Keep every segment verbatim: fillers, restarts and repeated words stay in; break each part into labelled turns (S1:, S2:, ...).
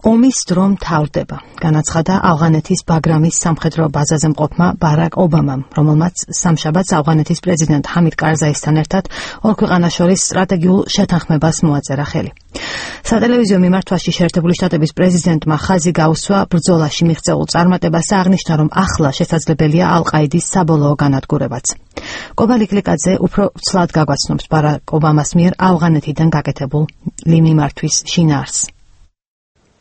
S1: ომის დრო მთავრდება, განაცხადა ავღანეთის ბაგრამის სამხედრო ბაზაზე მყოფმა ბარაკ ობამამ, რომელმაც სამშაბათს ავღანეთის პრეზიდენტ ჰამიდ კარზაისთან ერთად ორ ქვეყანას შორის სტრატეგიულ შეთანხმებას მოაწერა ხელი. სატელევიზიო მიმართვაში შეერთებული შტატების პრეზიდენტმა ხაზი გაუსვა ბრძოლაში მიღწეულ წარმატებას და აღნიშნა, რომ ახლა შესაძლებელია ალ-ყაიდის საბოლოო განადგურებაც. კობალი კლიკაძე უფრო ცლად გაგვაცნობს ბარაკ ობამას მიერ ავღანეთიდან გაკეთებული მიმართვის შინაარსს.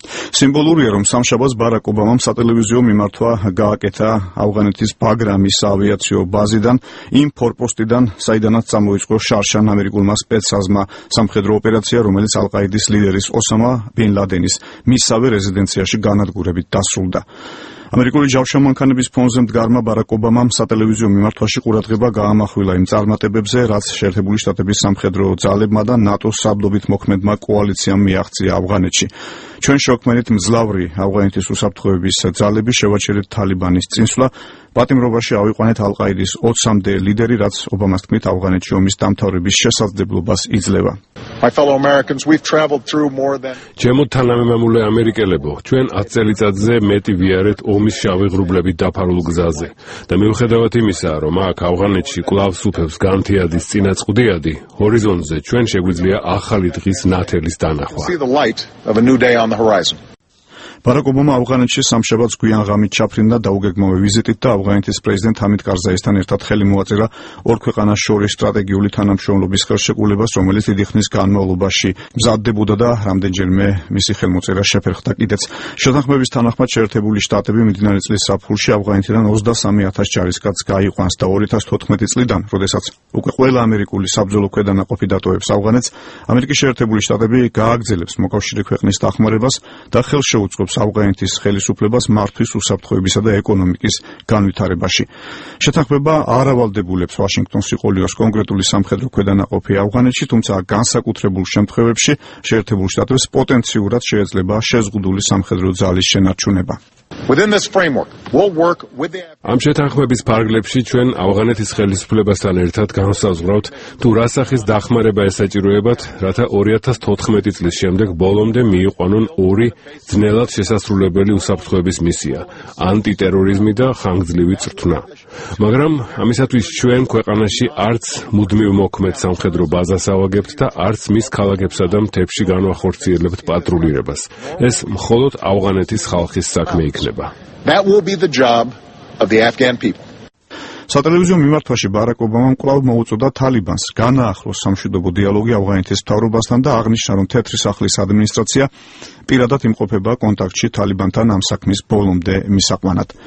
S2: სიმბოლურია, რომ სამშაბათს ბარაკ ობამამ სატელევიზიო მიმართვა გააკეთა ავღანეთის ბაგრამის ავიაციო ბაზიდან, იმ ფორპოსტიდან, საიდანაც წამოიწყო შარშან ამერიკულმა სპეცსაზმა სამხედრო ოპერაცია, რომელიც ალ-ყაიდის ლიდერის ოსამა ბინ ლადენის მისსავე რეზიდენციაში განადგურებით დასრულდა. ამერიკული ჯავშანმანქანების ფონზე მდგარმა ბარაკ ობამამ სატელევიზიო მიმართვაში ყურადღება გაამახვილა იმ წარმატებებზე, რაც შეერთებული შტატების სამხედრო ძალებმა და ნატოს საბდობით მოქმედმა კოალიციამ მიაღწია ავღანეთში. ჩვენ შევქმნით მძლავრი ავღანეთის უსაფრთხოების ძალები, შევაჩერეთ თალიბანის წინსვლა, პატიმრობაში ავიყვანეთ ალ-ყაიდის ოცამდე ლიდერი, რაც ობამას თქმით ავღანეთში ომის დამთავრების შესაძლებლობას იძლევა.
S3: ჩემო თანამემამულე ამერიკელებო, ჩვენ ათ წელიწადზე მეტი ვიარეთ ომის შავი ღრუბლებით დაფარულ გზაზე და მიუხედავად იმისა, რომ აქ ავღანეთში კვლავ სუფევს განთიადის წინაწყდიადი, ჰორიზონტზე ჩვენ შეგვიძლია ახალი დღის ნათელის დანახვა.
S2: ბარაკ ობამა ავღანეთში სამშაბათს გვიან ღამით ჩაფრინდა დაუგეგმავე ვიზიტით და ავღანეთის პრეზიდენტ ჰამიდ კარზაისთან ერთად ხელი მოაწერა ორ ქვეყანას შორის სტრატეგიული თანამშრომლობის ხელშეკრულებას, რომელიც დიდი ხნის განმავლობაში მზადდებოდა და რამდენჯერმე მისი ხელმოწერა შეფერხდა კიდეც. შეთანხმების თანახმად შეერთებული შტატები მიმდინარე წლის ზაფხულში ავღანეთიდან ოცდასამი ათას ჯარისკაცს გაიყვანს და ორი ათას თოთხმეტი წლიდან, როდესაც უკვე ყველა ამერიკული საბრძოლო ქვედანაყოფი დატოვებს ავღანეთს, ამერიკის შეერთებული შტატები გააგრძელებს მოკავშირე ქვეყნის დახმარებას და ხელს შეუწყობს ავღანეთის ხელისუფლებას მართვის უსაფრთხოებისა და ეკონომიკის განვითარებაში. შეთანხმება არ ავალდებულებს ვაშინგტონს იყოლიოს კონკრეტული სამხედრო ქვედანაყოფი ავღანეთში, თუმცა განსაკუთრებულ შემთხვევებში შეერთებულ შტატებს პოტენციურად შეეძლება შეზღუდული სამხედრო ძალის შენარჩუნება.
S3: ამ შეთანხმების ფარგლებში ჩვენ ავღანეთის ხელისუფლებასთან ერთად განსაზღვრავთ, თუ რა სახის დახმარება ესაჭიროებათ, რათა ორი ათას თოთხმეტი წლის შემდეგ ბოლომდე მიიყვანონ ორი ძნელად შესასრულებელი უსაფრთხოების მისია, ანტიტერორიზმი და ხანგრძლივი წვრთნა. მაგრამ ამისათვის ჩვენ ქვეყანაში არც მუდმივ მოქმედ სამხედრო ბაზას ავაგებთ და არც მის ქალაქებსა და მთებში განვახორციელებთ პატრულირებას. ეს მხოლოდ ავღანეთის ხალხის საქმე იქნება.
S4: That will be the job of the Afghan people.
S2: სატელევიზიო მიმართვაში ბარაკ ობამამ კვლავ მოუწოდა თალიბანს განაახლოს სამშვიდობო დიალოგი ავღანეთის მთავრობასთან და აღნიშნა, რომ თეთრი სახლის ადმინისტრაცია პირადად იმყოფება კონტაქტში თალიბანთან ამ საქმის ბოლომდე მისაყვანად.